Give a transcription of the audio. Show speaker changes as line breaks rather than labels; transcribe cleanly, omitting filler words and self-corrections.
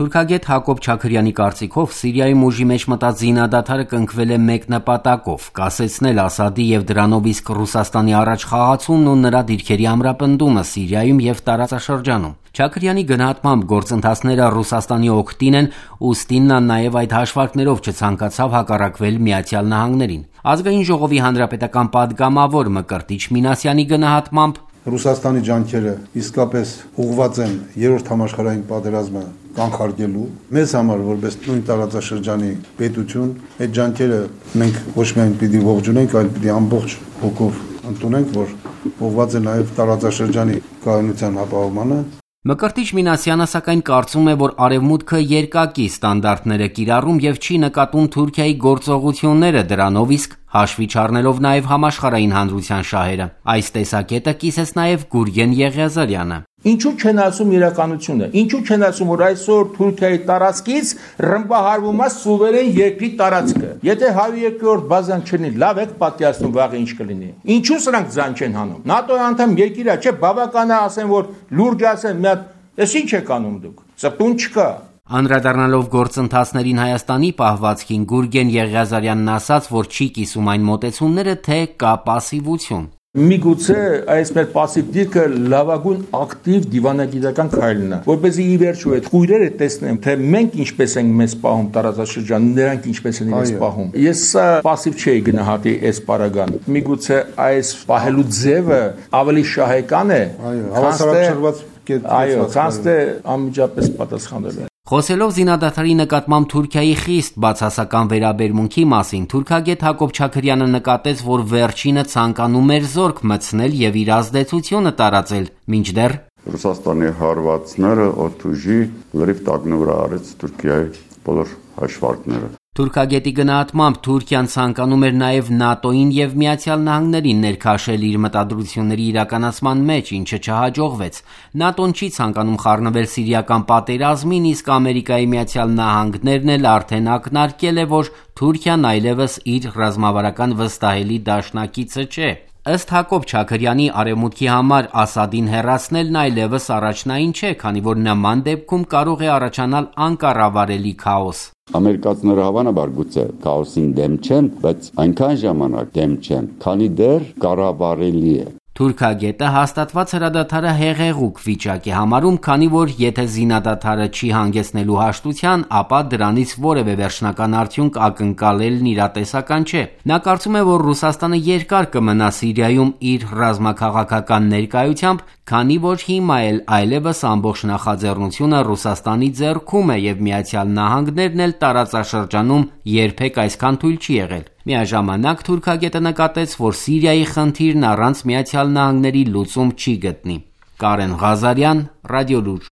Թուրքագետ Հակոբ Չաքրյանի կարծիքով Սիրիայում ուժի մեջ մտած զինադադարը կնքվել է մեկ նպատակով՝ կասեցնել Ասադի եւ դրանով իսկ Ռուսաստանի առաջ խաղացումն ու նրա դիրքերի ամրապնդումը Սիրիայում եւ տարածաշրջանում։ Չաքրյանի գնահատմամբ գործընթացները Ռուսաստանի օգտին են, ուստի նա նաեւ այդ հաշվարկներով չցանկացավ հակառակվել ԱՄՆ-ին։ Ազգային ժողովի հանրապետական պատգամավոր Մկրտիչ Մինասյանի գնահատմամբ
Ռուսաստանի ջանքերը իսկապես ուղղված են երրորդ համաշխարհային պատերազմը կանխարգելու։ Մեզ համար որպես նույն տարածաշրջանի պետություն այդ ջանքերը մենք ոչ միայն պիտի ողջունենք, այլ պիտի ամբողջ հոգով ընդունենք, որ ուղղված է նաև տարածաշրջանի կայունության ապահովմանը։
Մկրտիչ Մինասյանը սակայն կարծում է, որ Արևմուտքը երկակի ստանդարտներ է կիրառում եւ չի նկատում Թուրքիայի գործողությունները, դրանով իսկ հաշվի չառնելով նաեւ համաշխարհային հանրության շահերը։ Այս տեսակետը կիսեց նաեւ Գուրգեն Եղիազարյանը։
Ինչու չեն ասում իրականությունը։ Ինչու չեն ասում, որ այսօր Թուրքիայի տարածքից ռմբահարվում է սուվերեն երկրի տարածքը։ Եթե 102-րդ բազան չլինի, լավ եք պատկերացնում վաղը ինչ կլինի։ Ինչու սրանք ձայն չեն հանում։ ՆԱՏՕ-ի անդամ երկիր է, չէ, բավական է ասեն, որ լուրջ ասեն, մի հատ, էս ինչ եք անում դուք։ Ծպտուն չկա։
Անդրադառնալով գործընթացներին Հայաստանի պահվածքին Գուրգեն Եղիազարյանն ասաց, որ չի կիսում այն մոտեցումները, թե կա պասիվություն։
Միգուցե այս մեր պասիվ դիրքը լավագույն ակտիվ դիվանագիտական քայլն է, որպեսզի ի վերջո այդ քույրերը տեսնեն, թե մենք ինչպես ենք մեզ պահում տարածաշրջանում, նրանք ինչպես են իրենց պահում։ Ես սա պասիվ չէի գնահատի այս պարագան։ Միգուցե այս պահելու ձևը ավելի շահեկան է, քան թե անմիջապես պատասխանելը։
Խոսելով զինադադարի նկատմամբ Թուրքիայի խիստ բացասական վերաբերմունքի մասին, թուրքագետ Հակոբ Չաքրյանը նկատեց, որ վերջինը ցանկանում էր զորք մտցնել եւ իր ազդեցությունը տարածել, մինչդեռ
Ռուսաստանի հարվածները օդուժի լրիվ տագնու վրա արեց Թուրքիայի բոլոր հաշվարկները։
Թուրքագետի գնահատմամբ Թուրքիան ցանկանում էր նաև ՆԱՏՕ-ին եւ ԱՄՆ-ին ներքաշել իր մտադրությունների իրականացման մեջ, ինչը չհաջողվեց։ ՆԱՏՕ-ն չի ցանկանում խառնվել սիրիական պատերազմին, իսկ Ամերիկայի Միացյալ Նահանգներն էլ արդեն ակնարկել է, որ Թուրքիան այլևս իր ռազմավարական վստահելի դաշնակիցը չէ։ Ըստ Հակոբ Չաքրյանի, Արևմուտքի համար Ասադին հեռացնելն այլևս առաջնային չէ, քանի որ նման դեպքում կարող է առաջանալ անկառավարելի քաոս։
Ամերիկացիները հավանաբար գուցե քաոսին դեմ չեն, բայց այնքան ժամանակ դեմ չեն, քանի դեռ կառավարելի է։
Թուրքագետը հաստատված հրադադարը հեղեղուկ վիճակ է համարում, քանի որ եթե զինադադարը չի հանգեցնելու հաշտության, ապա դրանից որևէ վերջնական արդյունք ակնկալելն իրատեսական չէ։ Նա կարծում է, որ Ռուսաստանը երկար կմնա Սիրիայում իր ռազմաքաղաքական ներկայությամբ, քանի որ հիմա էլ այլևս ամբողջ նախաձեռնությունը Ռուսաստանի ձեռքում է եւ ԱՄՆ-ն էլ տարածաշրջանում երբեք այսքան թույլ չի եղել։ Միաժամանակ թուրքագետը նկատեց, որ Սիրիայի խնդիրն առանց ԱՄՆ-ի լուծում չի գտնի։ Կարեն Ղազարյան, Ռադիոլուր։